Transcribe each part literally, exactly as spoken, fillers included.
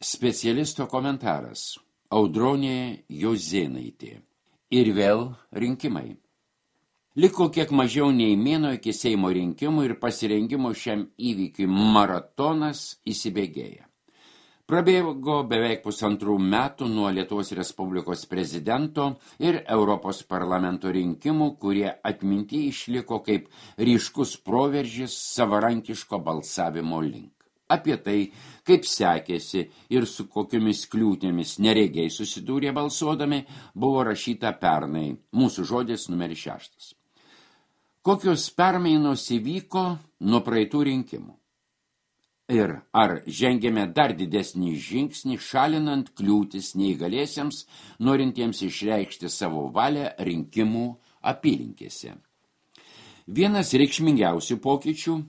Specialisto komentaras. Audronė Jozėnaitė. Ir vėl rinkimai. Liko kiek mažiau nei mėnuo iki Seimo rinkimų ir pasirengimo šiam įvykiui maratonas įsibėgėja. Prabėgo beveik pusantrų metų nuo Lietuvos Respublikos prezidento ir Europos parlamento rinkimų, kurie atminty išliko kaip ryškus proveržis savarankiško balsavimo link. Apie tai, kaip sekėsi ir su kokiomis kliūtėmis neregiai susidūrė balsuodami, buvo rašyta pernai, mūsų žodis numeris šeštas. Kokios permainos įvyko nuo praeitų rinkimų? Ir ar žengėme dar didesnį žingsnį, šalinant kliūtis neįgaliesiems, norintiems išreikšti savo valią rinkimų apylinkėse? Vienas reikšmingiausių pokyčių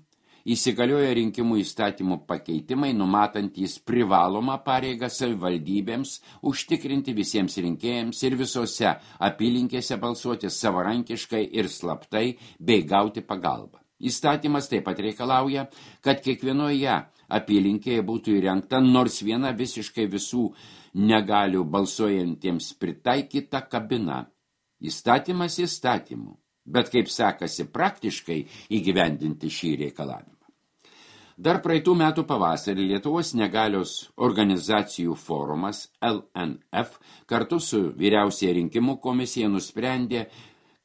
įsigalioja rinkimų įstatymų pakeitimai, numatantys privalomą pareigą savivaldybėms užtikrinti visiems rinkėjams ir visose apylinkėse balsuoti savarankiškai ir slaptai bei gauti pagalbą. Įstatymas taip pat reikalauja, kad kiekvienoje apylinkėje būtų įrengta nors viena visiškai visų negalių balsuojantiems pritaikyta kabina. Įstatymas įstatymų. Bet kaip sekasi praktiškai įgyvendinti šį reikalavimą. Dar praeitų metų pavasarį Lietuvos negalios organizacijų forumas L N F kartu su vyriausiąja rinkimų komisija nusprendė,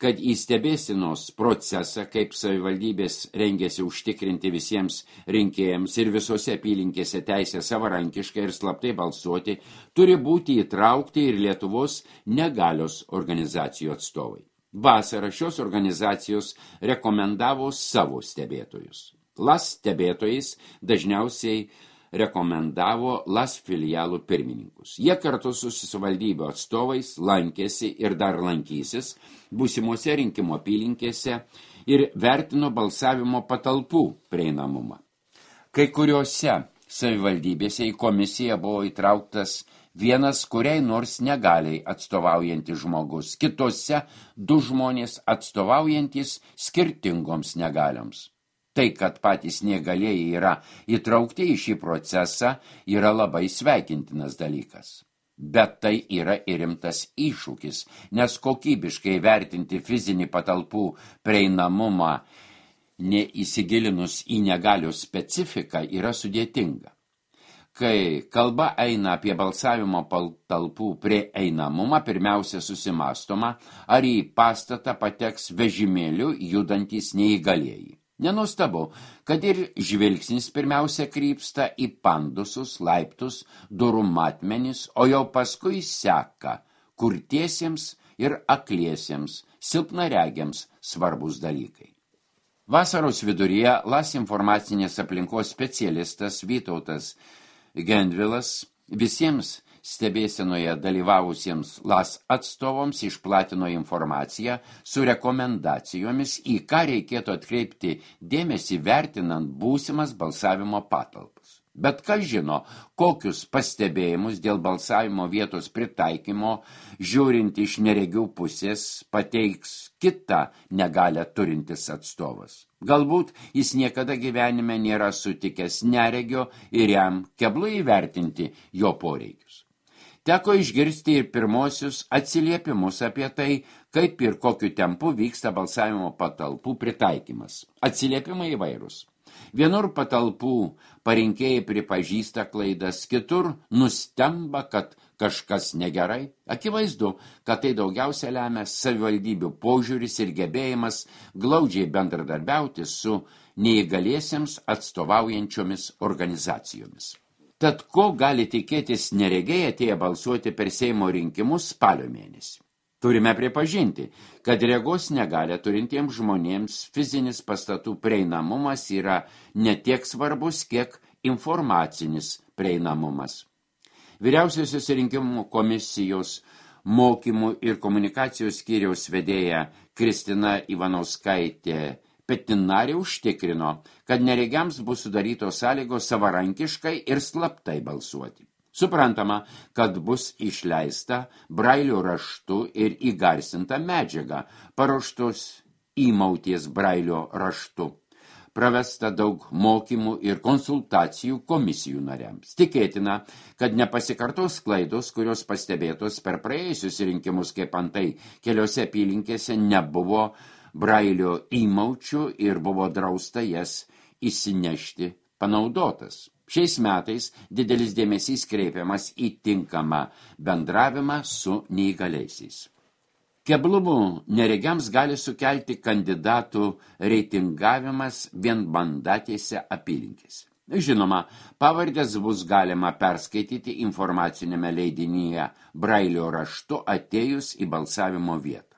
kad į stebėsenos procesą, kaip savivaldybės rengėsi užtikrinti visiems rinkėjams ir visose apylinkėse teisę savarankiškai ir slaptai balsuoti, turi būti įtraukti ir Lietuvos negalios organizacijų atstovai. Vasarą šios organizacijos rekomendavo savo stebėtojus. L A S stebėtojais dažniausiai rekomendavo L A S filialų pirmininkus. Jie kartu su savivaldybių atstovais lankėsi ir dar lankysis būsimose rinkimų apylinkėse ir vertino balsavimo patalpų prieinamumą. Kai kuriuose savivaldybėse į komisiją buvo įtrauktas vienas kuriai nors negaliai atstovaujantis žmogus, kitose du žmonės atstovaujantis skirtingoms negalioms. Tai, kad patys negalėjai yra įtraukti į šį procesą, yra labai sveikintinas dalykas. Bet tai yra ir rimtas iššūkis, nes kokybiškai vertinti fizinį patalpų prieinamumą, neįsigilinus į negalių specifiką, yra sudėtinga. Kai kalba eina apie balsavimo patalpų prieinamumą, pirmiausia susimąstoma, ar į pastatą pateks vežimėliu judantys neįgalieji. Nenustabu, kad ir žvilgsnis pirmiausia krypsta į pandusus, laiptus, durų matmenis, o jau paskui seka kurtiesiems ir akliesiems, silpnaregiams svarbus dalykai. Vasaros viduryje L A S informacinės aplinkos specialistas Vytautas Gendvilas visiems stebėsenoje dalyvavusiems L A S atstovams išplatino informaciją su rekomendacijomis, į ką reikėtų atkreipti dėmesį vertinant būsimas balsavimo patalpas. Bet kas žino, kokius pastebėjimus dėl balsavimo vietos pritaikymo, žiūrint iš neregių pusės, pateiks kitą negalią turintis atstovas. Galbūt jis niekada gyvenime nėra sutikęs neregio ir jam keblu įvertinti jo poreikius. Teko išgirsti ir pirmosius atsiliepimus apie tai, kaip ir kokiu tempu vyksta balsavimo patalpų pritaikymas. Atsiliepimai įvairūs. Vienur patalpų parinkėjai pripažįsta klaidas, kitur nustemba, kad kažkas negerai. Akivaizdu, kad tai daugiausia lemia savivaldybių požiūris ir gebėjimas glaudžiai bendradarbiauti su neįgaliesiems atstovaujančiomis organizacijomis. Tad ko gali tikėtis neregiai atėję balsuoti per Seimo rinkimus spalio mėnesį? Turime pripažinti, kad regos negalią turintiems žmonėms fizinis pastatų prieinamumas yra ne tiek svarbus, kiek informacinis prieinamumas. Vyriausiosios rinkimų komisijos mokymų ir komunikacijos skyriaus vedėja Kristina Ivanauskaitė Petinarė užtikrino, kad neregiams bus sudarytos sąlygos savarankiškai ir slaptai balsuoti. Suprantama, kad bus išleista brailio raštu ir įgarsinta medžiaga, paruoštos įmauties brailio raštu. pravesta daug mokymų ir konsultacijų komisijų nariams. Tikėtina, kad nepasikartos klaidos, kurios pastebėtos per praėjusius rinkimus, kaip antai keliose apylinkėse nebuvo brailio įmaučių ir buvo drausta jas įsinešti panaudotas. Šiais metais didelis dėmesys kreipiamas į tinkamą bendravimą su neįgaliaisiais. Keblumų neregiams gali sukelti kandidatų reitingavimas vienmandatėse apylinkėse. Žinoma, pavardės bus galima perskaityti informacinėme leidinyje brailio raštu atėjus į balsavimo vietą.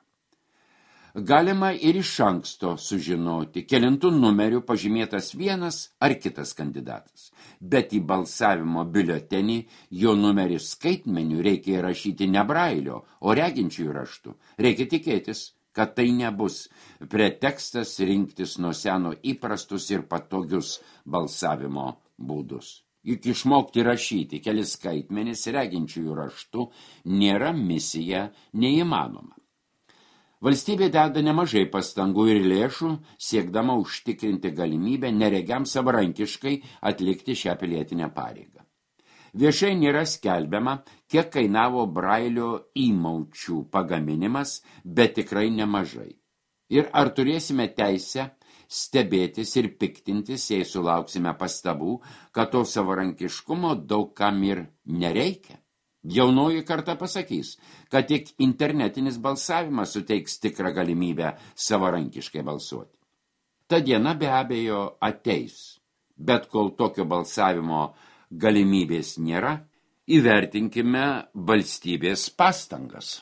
Galima ir iš anksto sužinoti, kelintų numerių pažymėtas vienas ar kitas kandidatas, bet į balsavimo biuletenį jo numerį skaitmeniu reikia įrašyti ne brailio, o reginčiųjų raštu. Reikia tikėtis, kad tai nebus pretekstas rinktis nuo seno įprastus ir patogius balsavimo būdus. Juk išmokti rašyti kelis skaitmenis reginčiųjų raštu nėra misija neįmanoma. Valstybė deda nemažai pastangų ir lėšų, siekdama užtikrinti galimybę neregiams savarankiškai atlikti šią pilietinę pareigą. Viešai nėra skelbiama, kiek kainavo brailio įmaučių pagaminimas, bet tikrai nemažai. Ir ar turėsime teisę stebėtis ir piktintis, jei sulauksime pastabų, kad to savarankiškumo daug kam ir nereikia? Jaunoji karta pasakys, kad tik internetinis balsavimas suteiks tikrą galimybę savarankiškai balsuoti. Ta diena be abejo ateis, bet kol tokio balsavimo galimybės nėra, įvertinkime valstybės pastangas.